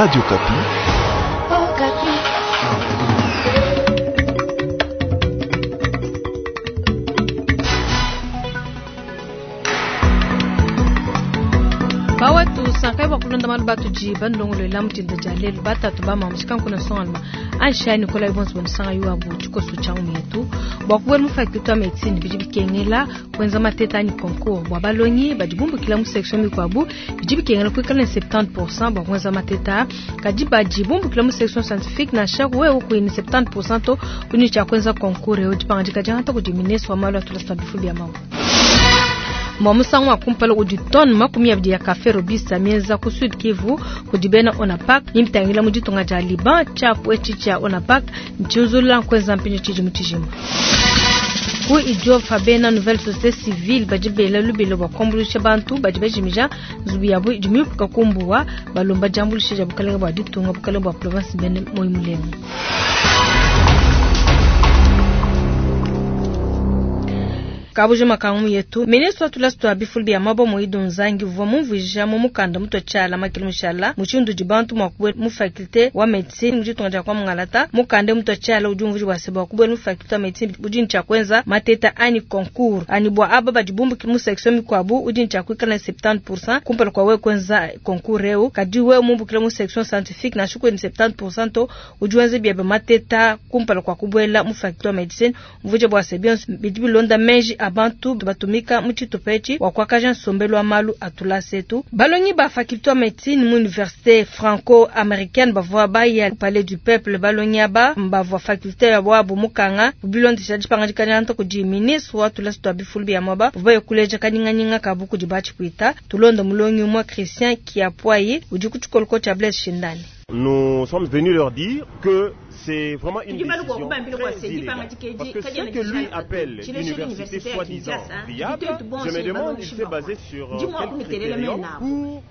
Radio Okapi. Bawetu sankai bua kulonda malu batudi bandongoluela mutinda dia lelu batatu ba mamu tshikanku songalma ansha Nicolas bonso bamusanga yuabu tshikoso tshia yetu bua kubuela mu faculté ya medecine bidi bikengela kuenza mateta anyi concours bua balongi badi bumbukila mu section mikuabu bidi bikengela kuikala ne 70% bua kuenza mateta kadi badi bumbukila mu section scientifique nansha wewe kuyi ne 70% to kuni tshia kuenza concours eu dipangadika diangata kudi ministre wa malu a tulasa bifu bia mamu mwa musangu wa kumpala udi tonne 20 ya kafe robusta mienza ku Sud Kivu kudi bena ONAPAC nimitangila mu ditunga dia Liban tshiapu etshi tshia ONAPAC ntshiuzulula nkuenza mpinyo tshidimu tshijima. Ku Idiofa bena nouvelle société civile badi bela lubilo bua kuambuluisha bantu badi bajimija nzubu yabu idi miupuka kumbuwa balomba diambuluisha dia bukalenge bua ditunga bukalenge bua province bene moyi mulenga. Kabuji makangu yetu ministre wa tulasa twa bifulu bia mabo Moido Nzangi uvua mumvuija mu mukanda mutue tshiala makili mushala mushindu udi bantu mua kubuela mu faculté wa medecine mu ditunga dia kwa Mungalata. Mukanda mutue tshiala udi umvuija bua se bua kubuela mu faculté wa medecine udi ne tshia kuenza mateta anyi concours ani bua aba badi bumbuki mu section mikuabu udi ne tshia kuikala ne 70% kumpala kua wewe kuenza concours eu. Kadi wewe mumbukile mu section scientifique nansha kuyi ne 70% to udi wenza biebe mateta kumpala kua kubuela mu faculté wa medecine. Umvuija bua se bionso bidi bilonda meji a bantu batumika mu tshitupa etshi wa kuakaja nsombelu wa malu a tulasa etu. Balongi ba faculté wa medecine mu université franco-américaine bavua baya ku palais du peuple. Balongi aba bavua faculté ya wabu mukanga bilondesha dipangadika diangata kudi ministre wa tulasa twa bifulu bia mwaba bavua baye kuleja kanyinganyinga kabu kudi batshipwita. Tulonda mulongi umue Christian Kiapwayi udi ku tshikoloko tshia Blaise Shindani. Nous sommes venus leur dire que c'est vraiment une décision très illégale. Parce que ce que lui appelle l'université soi-disant viable, je me demande, il s'est basé sur quel critérium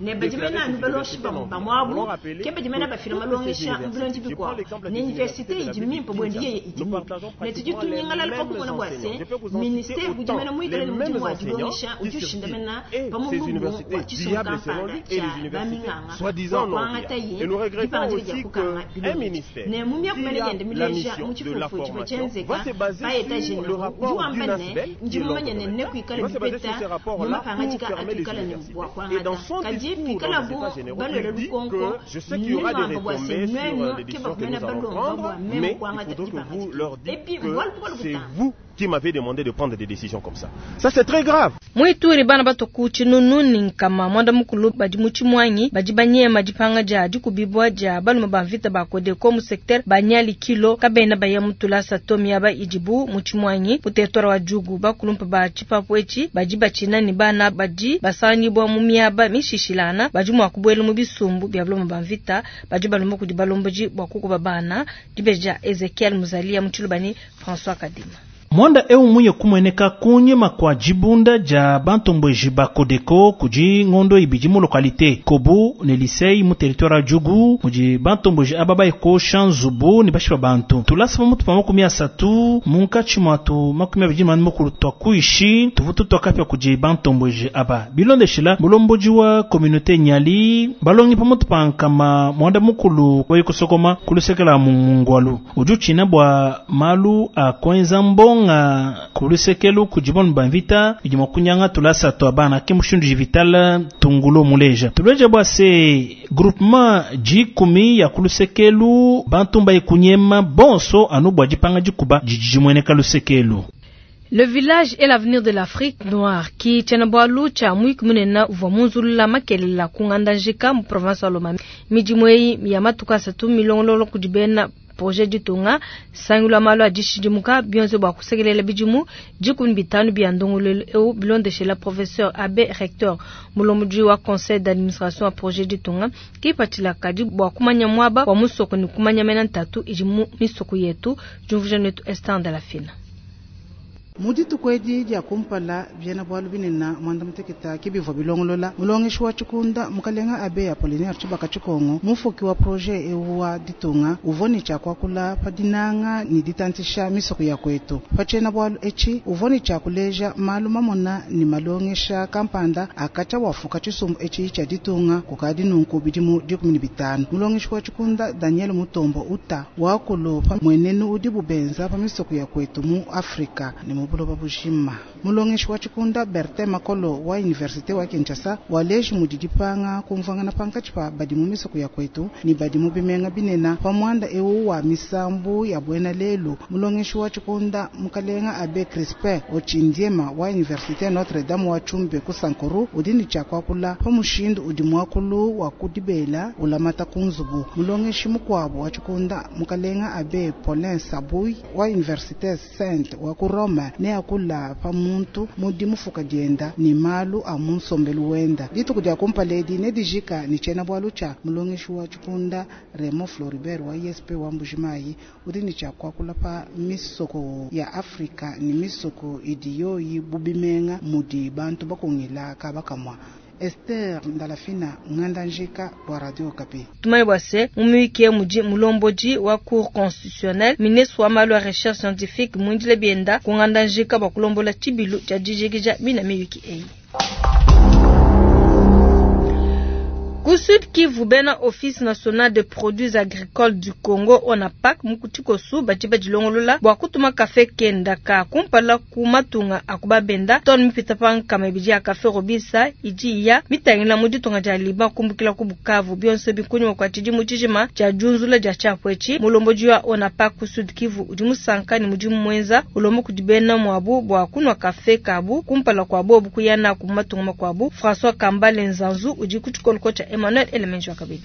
pour déclarer cette université non viable. Nous rappelé que toutes ces universités, je prends l'exemple de l'université de la ville de Kinshasa, nous partageons pratiquement les mêmes enseignants. Je peux vous en citer autant, les mêmes enseignants qui circulent. Et ces universités viables selon lui et les universités soi-disant non viables. Et nous regrettons aussi qu'un ministère qui a la mission de la formation va se baser sur le rapport d'une ASBL qui est l'ordre va se baser sur ce rapport-là pour fermer les universités. Et dans son discours dans les États généraux, il dit que je sais qu'il y aura des retombées sur les décisions que nous allons prendre, mais il faudrait que vous leur dites que c'est vous qui m'avez demandé de prendre des décisions comme ça. Ça c'est très grave. Muituri bana batoku tshinunu ni nkama mwanda mukulu badi mu tshimwanyi badi banyema dipanga dia dikubibua dia balume ba mvita ba Codeco mu secteur banyali kilo kabena baya mu tulasa to miaba idibu mu tshimwanyi mu territoire wa Djugu. Bakulumpa ba tshipapu etshi badi batshina ne bana badi basangibua mu miaba mishishilana badi mua kubuela mu bisumbu bia balume ba mvita badi balomba kudi balombodi bua kukuba bana. Dibeja Ezekiel Muzalia mu Tshilubani François Kadima. Mwanda eu muye kumweneka kunyima kwa jibunda ja bantombweji ba Codeco kudi ngondo ibidi mu localité Kobu ne Lisei mu territoire ya Djugu mudi bantombweji aba bayekosha nzubu ne bashipa bantu tulasa pamutu pa 30 munkatshi mwatu 24 twa kuishi tuvutu twakapya kudi bantombweji aba bilondeshela mulomboji wa communauté Nyali balongi pamutu pa nkama mwanda mukulu wayikusokoma kulusekela mu mungwalu udi utshina bua malu a kuenza mbonga kulusekelu kudibonu bamvita idi mua kunyanga tulasa twa bana ke mushindu jivitala tungulo muleja tuleja bua se groupement dikumi ya kulusekelu bantu mbaye kunyema bonso anu bua dipanga dikuba didi dimueneka lusekelu. Le village est l'avenir de l'Afrique noire ki tshiena-bualu tshia muiki munene uvua munzulula makelela ku ngandajika mu province wa Lomami. Midimu eyi ya matuku asatu milongolola kudi bena projet ditunga sangilu malu a dishidimuka bionso bua kusekelela bidimu 15 bia ndongoluelu eu bilondeshela professeur abbé recteur mulombodi wa conseil d'administration wa projet ditunga kipatshila kadi bua kumanya muaba wa musoko ne kumanya mena ntatu idi mu misoko yetu. Diumvuija netu Esther Ndalafina. Mu dituku edi dia kumpala, biena-bualu binene muanda-mutekete ke bivua bilongolola. Mulongeshi wa tshikunda, Mukalenga Abbe Apollinaire Tshibaka Tshikongo, mufuki wa projet eu wa ditunga, uvua ne tshia kuakula pa dinanga ne ditantshisha misoko ya kuetu. Pa tshiena-bualu etshi, uvua ne tshia kuleja malu mamona ne malongesha kampanda a katshia wafuka tshisumbu etshi tshia ditunga kukadi nunku bidimu 15. Mulongeshi wa tshikunda Daniel Mutombo Uta wakulu pa mmuenenu udibu benza pa misoko ya kuetu mu Afrika ne mu buloba bujima. Mulongeshi wa tshikunda Bertin Makolo wa Universite wa Kinshasa waleji mudi dipanga kumvuangana pankatshi pa badi mu misoko ya kuetu ne badi mu bimenga binene pa muanda eu wa misambu ya buena lelu. Mulongeshi wa tshikunda Mukalenga Abbe Crispin Otshindima wa Universite Notre Dame wa Tshumbe ku Sankuru udi ne tshia kuakula pa mushindu udi muakulu wa ku dibela ulamata ku nzubu. Mulongeshi mukuabu wa tshikunda Mukalenga Abbe Paulin Sabui wa Universite Sainte wa ku Rome neakula pa muntu mu dimufuka dienda ne malu a mu nsombelu wenda. Dituku dia kumpala edi nedijika ne tshiena-bualu tshia mulongeshi wa tshikunda Raymond Floribert wa ISP wa Mbujimayi udi ne tshia kuakula pa misoko ya Afrika ne misoko idi yoyi bu bimenga mudi bantu bakungila kaba kamua. Esther Ndalafina, Ngandajika bua Radio Okapi. Tumanye bua se, mu muyuki eu mudi mulombodi wa Cour constitutionnelle, ministre wa malu a recherche scientifique muindile bienda ku Ngandajika bua kulombola tshibilu tshia dijikija mina miyuki eyi. Ku Sud Kivu, bena Office National des Produits Agricoles du Congo ONAPAC mu tshikosu badi badilongolola bua kutuma kafe kenda ka kumpala ku matunga a ku babenda tonne mipita pa nkama ibidi ya kafe Robisa idi iya mitangila mu ditunga dia Liban kumbukila ku Bukavu. Bionso ebi kunyima kua tshidimu tshijima tshia diunzula dia tshiapu etshi. Mulombodi wa ONAPAC ku Sud Kivu udi musanka ne mudimu muenza, ulomba kudi bena muabu bua kunua kafe kabu kumpala kua bobu kuya naku mu matunga makuabu. François Kambale Nzanzu udi ku tshikoloko tshia Emmanuel Elemenji wa kabidi.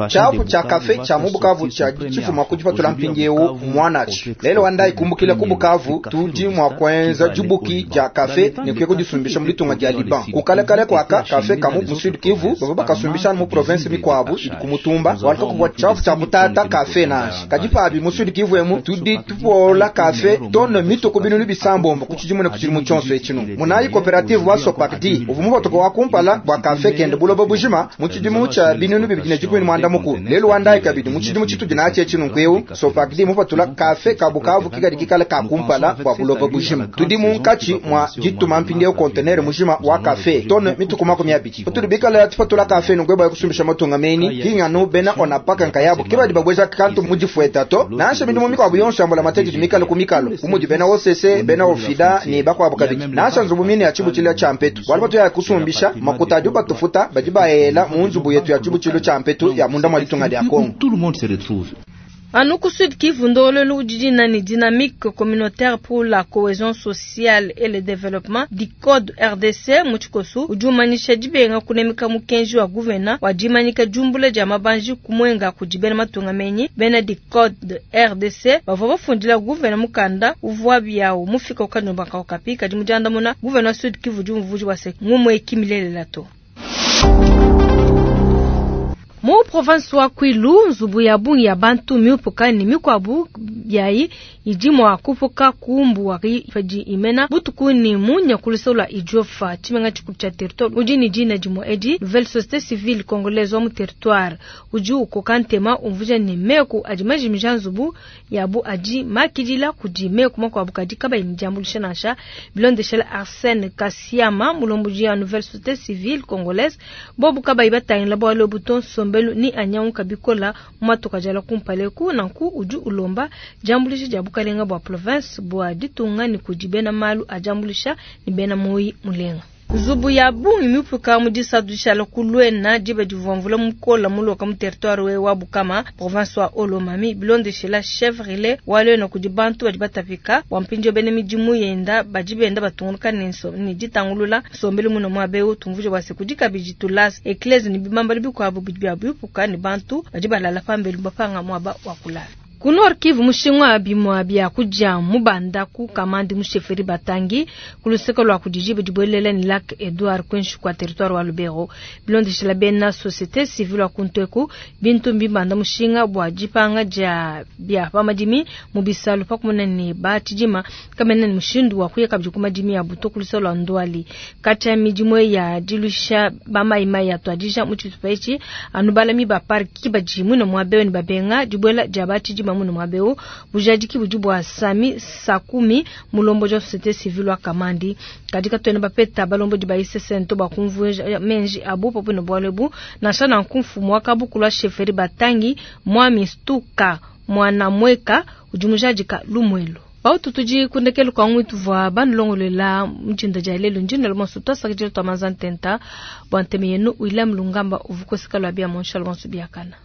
Tshiapu tshia kafe tshia mu Bukavu tshia tshifuma ku dipatula mpindieu muanatshi lelo wa ndayi kumbukila ku Bukavu tudi mua kuenza dibuki dia kafe ne kuya kudisumbisha mu ditunga dia Liban. Kukalekale kuaka kafe ka mu Sud Kivu bavua bakasumbisha mu province mikuabu idi ku mutumba walika kuvua tshiapu tshia kutata kafe nansha. Kadi pabi mu Sud Kivu emu tudi tupola kafe tonne mituku binunu bisambombo ku tshidimu ne ku tshidimu tshionso etshinu. Munayi coopérative wa Sopakdi uvua mupatuka wa kumpala bua kafe kende buloba bujima mu tshidimu tshia 2016. Lelu wa ndayi kabidi mu tshidimu tshitudi natshi etshi nunku eu Sopakdi mupatula kafe ka Bukavu kikadi kikale ka kumpala bua buloba bujima. Tudi munkatshi mua dituma mpindieu conteneur mujima wa kafe tonne mituku 20. Patudi bikale tupatula kafe nunku bua kusumbisha matunga meni kinganu bena onapaka nkayabu ke badi babweza kantu mu difueta to nansha midimu mikuabu yonso ya mbulamatadi mikale ku mikalo umudi bena OCC bena ofida ne bakuabu kabidi nansha nzubu mine ya tshibutshilu tshia mpetu bualu batu ya kusumbisha makuta adi batufuta badi baela mu nzubu yetu ya tshibutshilu tshia mpetu ya munda mwa ditunga dia Kongo. Tout le monde se retrouve. Anu ku Sud Kivu ndololu udi nani dynamique communautaire pour la cohésion sociale et le développement di code RDC mu tshikosu udi umanyisha dibenga kunemeka mukenji wa gouverneur wa dimanyika diumbula dia mabanji kumwenga kudi bena matunga menyi bena di code RDC bavua bafundila gouverneur mukanda uvua biawu mufika ukandomba Okapi kadi mudiandamuna gouverneur Sud Kivu udi umvuji wa se ngumwe kimilelela to. Mu province wa Kwilu nzubu ya bungi ya bantu miupuka ne mikuabu yayi idi mua kupuka kumbu padi imena butuku ni munya kulusula idiofa tshimenga tshikulu tshia territoire udi ne dina dimue edi nouvelle société civile congolaise wa mu territoire udi ukoka ntema umvuja ne meku adi majimija nzubu yabu adi makidila kudi meku makuabu kadi kabayi ne diambuluisha nansha bilondeshela Arsène Kasiama mulomboji ya nouvelle société civile congolaise bobu kabayi batangila bualu buto nsombelu ni anyanguka bikola mu matuka jala kumpaleku nanku udi ulomba diambuluisha dia bukalenga bua province bua ditunga ni kudi bena malu a diambuluisha ni bena moyi mulenga. Nzubu ya bungi mipuka mu disatu dishala kulwena diba divua mvula mukola muloka mu territoire we wa Bukama province wa Olomami bilondeshela chef relais wa lwena kudi bantu badi batapika bua mpindio bene midimu yenda badi benda batungunuka ne ditangulula nsombelu muno muabe tumvuje bua se kudi kabidi tulasa eklese ne bibambalu bikuabu bidi bia bipuka ne bantu badi balala pambelu bapanga muaba wa kulala. Ku Nord Kivu, mushinga wa bimua bia kudia mubanda ku Kamandi mu chefferie Batangi ku luseke lua kudi diba dibuelela ne lac Edouard kuinshi kua territoire wa Lubero. Bilondeshila bena societe civile wa kuntu eku, bintu mbibanda mushinga bua dipanga dia bia pa madimi mu bisalu pa kumona ne ba tshidima kabena ne mushindu wa kuya kabidi ku madimi abu to ku luseke lua Ndwali. Katshia midimu ya diluisha ba mayi mayi atuadija mu tshitupa etshi, anu balami ba parc ki badi muine muaba eu ne babenga dibuela dia ba tshidima muine muaba eu. Bujadiki budi bua Sami Sakumi, mulombodi wa societe civile wa Kamandi. Kadi katuena bapeta balombodi ba ICCN to bua kumvuija menji abu pa buine bualu ebu. Nansha nanku, mfumu wa kabukulu wa chefferie Batangi, Mwami Stuka Mwanamueka, udi mujadika lumuelu. Bautu tudi ku ndekelu kua ngui tuvua banulongoluela mu dinda dia lelu. Ndi nnuela bonso tuasakidila tua manza ntenta bua ntema yenu. William Lungamba uvua koseka lua bia mu nshala bonso biakana.